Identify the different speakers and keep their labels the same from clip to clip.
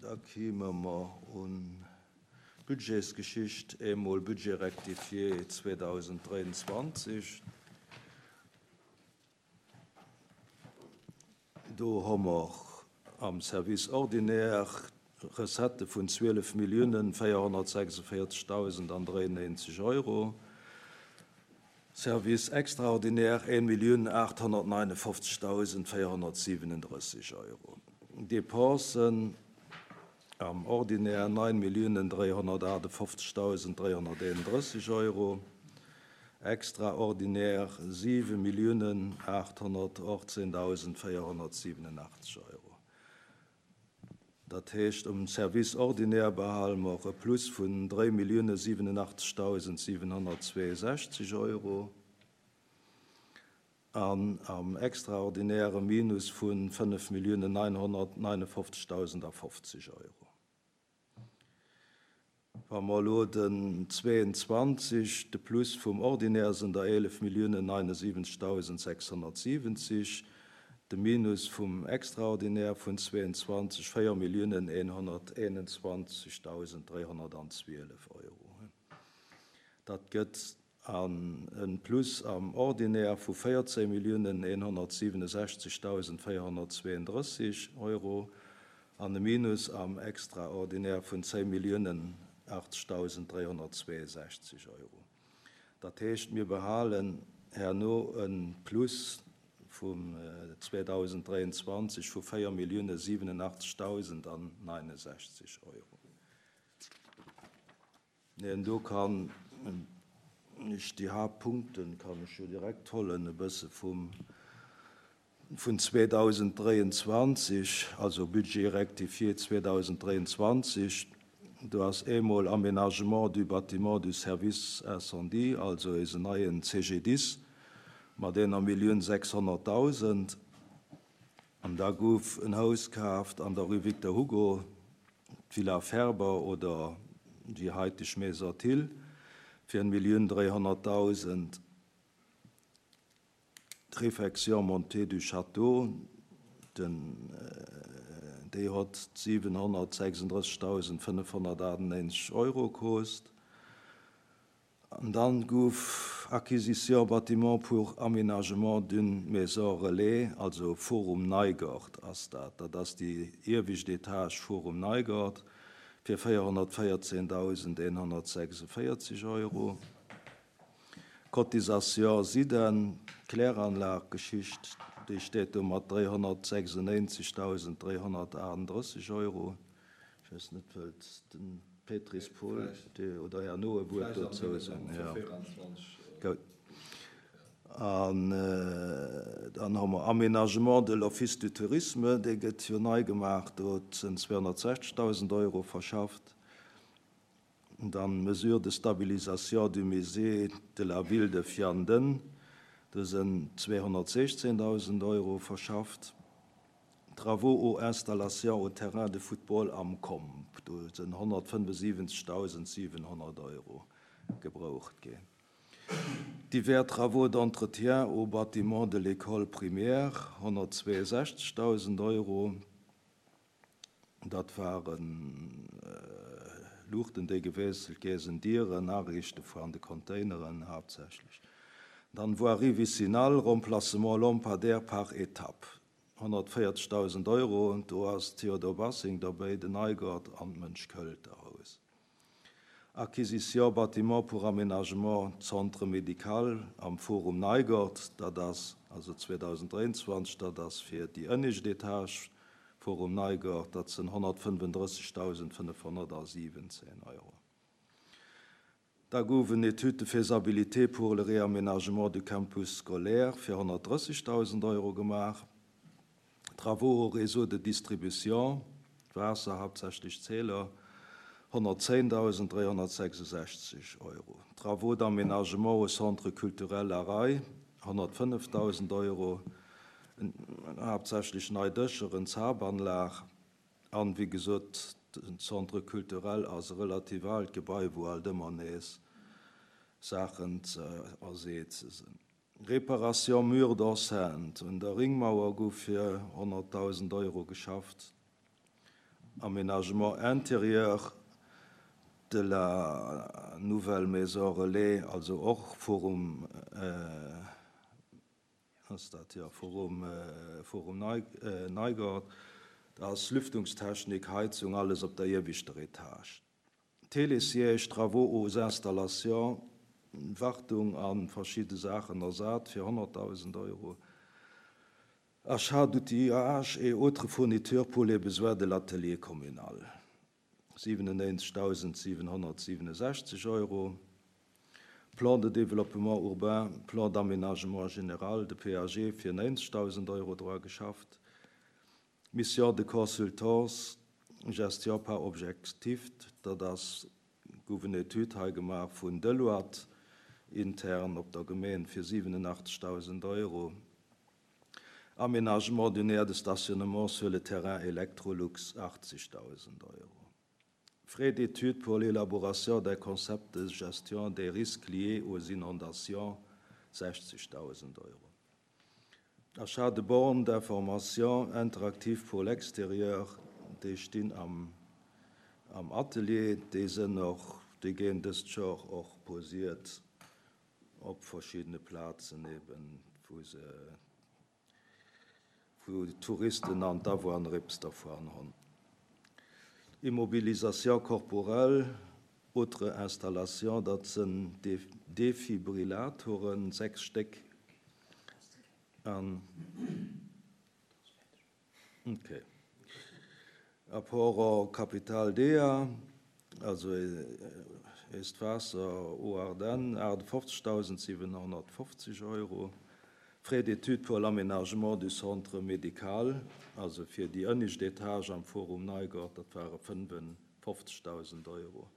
Speaker 1: Da kéime mer un d'Budgetsgeschicht, eemol Budget rectifié 2023. Do hu mer am Service ordinaire Recettë vun 12 Milliounen 446.093 Euro, Service extraordinaire 1.859.437 Euro, Dépensen am Ordinaire 9.358.331 Euro, extraordinaire 7.818.487 Euro. Dat heescht, um Service ordinaire behale mer e Plus vun 3.087.762 Euro an am extraordinaire e Minus vu 5.959.050 Euro. Wa mer elo den 22, de Plus vum Ordinaire sinn der 11.079.670, de Minus vum Extraordinaire vun 22, 4.121.312 Euro. Dat gëtt an e Plus am Ordinaire vu 14.167.432 Euro an e Minus am Extraordinaire vun 10.080.362 Euro. Dat heescht, mir behalen herno e Plus vum 2023 vu 4.087.069 Euro. Neen, do kann ech déi Haaptpunkten kann ech jo direkt hollen e bësse vum vun 2023, also Budget rectifié 2023. Do ass eemol Aménagement du bâtiment du service incendie, also eisen neien CGDIS mat enger Millioun 600.000. An da gouf en Haus kaaft an der Rue Victor Hugo, d'Villa Ferber oder déi haiteg Maison Thill, fir en Millioun 300.000. D'Réfection montée du château, den, déi hott 736.598 Euro koost. An dann gouf Acquisition bâtiment pour aménagement d'une maison relais, also Forum Neigort ass dat, dat ass déi iewescht Etage Forum Neigort, fir 414.146 Euro. Cotisation Siden, Kläranlag-Geschicht, déi steet do mat 396.338 Euro. Ech weess net, wëllt de Pétris Paul oder herno e Wuert dozou soen? Jo. Gutt. An dann hu mer Aménagement de l'Office du tourisme, dee gëtt jo nei gemaach, do sinn 260.000 Euro verschafft. Dann Mesures de stabilisation du musée de la ville de Vianden, do sinn 216.000 Euro verschafft. Travaux aux installations au terrain de football am Comp, do sinn 175.700 Euro gebraucht ginn. Divers travaux d'entretien au bâtiment de l'école primaire, 162.000 Euro. Dat waren Luuchten, déi gewiesselt gi sinn, Dieren, Ariichte vu an de Containeren haaptsächlech. Dann Voirie vicinale, Remplacement lampadaires par étape, 140.000 Euro, do ass Theodor Bassing derbéi, den Neigert an d'Mënsch-Költer-Haus. Acquisition bâtiment pour aménagement centre médical am Forum Neigert, dat ass also 2023, dat ass fir déi ënnescht Etage Forum Neigert, dat sinn 135.517 Euro. Da gouf en Étude de faisabilité pour le réaménagement du campus scolaire fir 130.000 Euro gemaach. Travaux au réseau de distribution, Waasser, haaptsächlech Zähler, 110.366 Euro. Travaux d'aménagement au centre culturel La Raye, 105.000 Euro, haaptsächlech nei Dëscher, en Zapanlag. An, wéi gesot, den Centre culturel ass e relativ aalt Gebai, wou alt ëmmer nees Saachen ze erseeze sinn. Réparation mur d'enceinte, un der Ringmauer gouf fir 100.000 Euro geschafft. Aménagement intérieur de la nouvelle maison relais, also och Forum, ass dat, jo, Forum, Forum Neigort, da ass Lüftungstechnik, Heizung, alles op der ieweschter Etage. Télésiège, Travaux aux installations, Wartung a verschidde Saachen ersat fir 100.000 Euro, Achat d'outillage et autres fournitures pour les besoins de l'atelier communal, 97.767 Euro, Plan de développement urbain, Plan d'aménagement général, de PAG, fir 90.000 Euro dra geschafft, Mission de consultance, gestion par objectifs, dat ass, gouf en Etüd hei gemaach vun Deloitte intern op der Gemeen fir 87.000 Euro, Aménagement d'une aire de stationnement sur le terrain Electrolux, 80.000 Euro. Frais d'études pour l'élaboration d'un concept de gestion des risques liés aux inondations, 60.000 Euro. Achat de bornes d'information interactives pour l'extérieur, déi stinn am am Atelier, déi sënn och, déi géen dëst Jor och posiert op verschiddene Plazen eben, wou se, wou d'Touristen an d'Awunner eppes dervun hunn. Immobilisation corporelle, autres installations, dat sënn Defibrillatoren, 6 Stéck an. Ok. Apport en capital DEA, also eist Waasser aux Ardennes, 58.750 Euro. Frais d'études pour l'aménagement du centre médical, also fir déi ënnescht Etage am Forum Neigort, dat ware 55.000 Euro.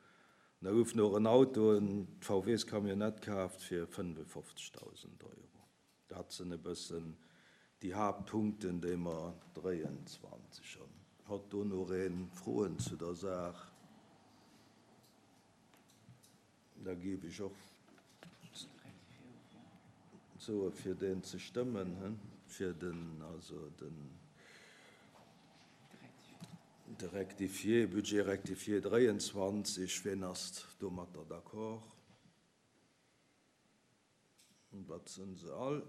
Speaker 1: An da gouf nach en Auto, en VWs-Camionnette kaaft fir 55.000 Euro. Dat sinn e bëssen déi Haaptpunkten, déi mer 23 hunn. Hott do nach ee Froen zu der Saach? Da géif ech och soe fir deen ze stëmmen, fir den, also den de rectifié, Budget rectifié 23. Wien ass domatter d'accord? Dat sinn se all.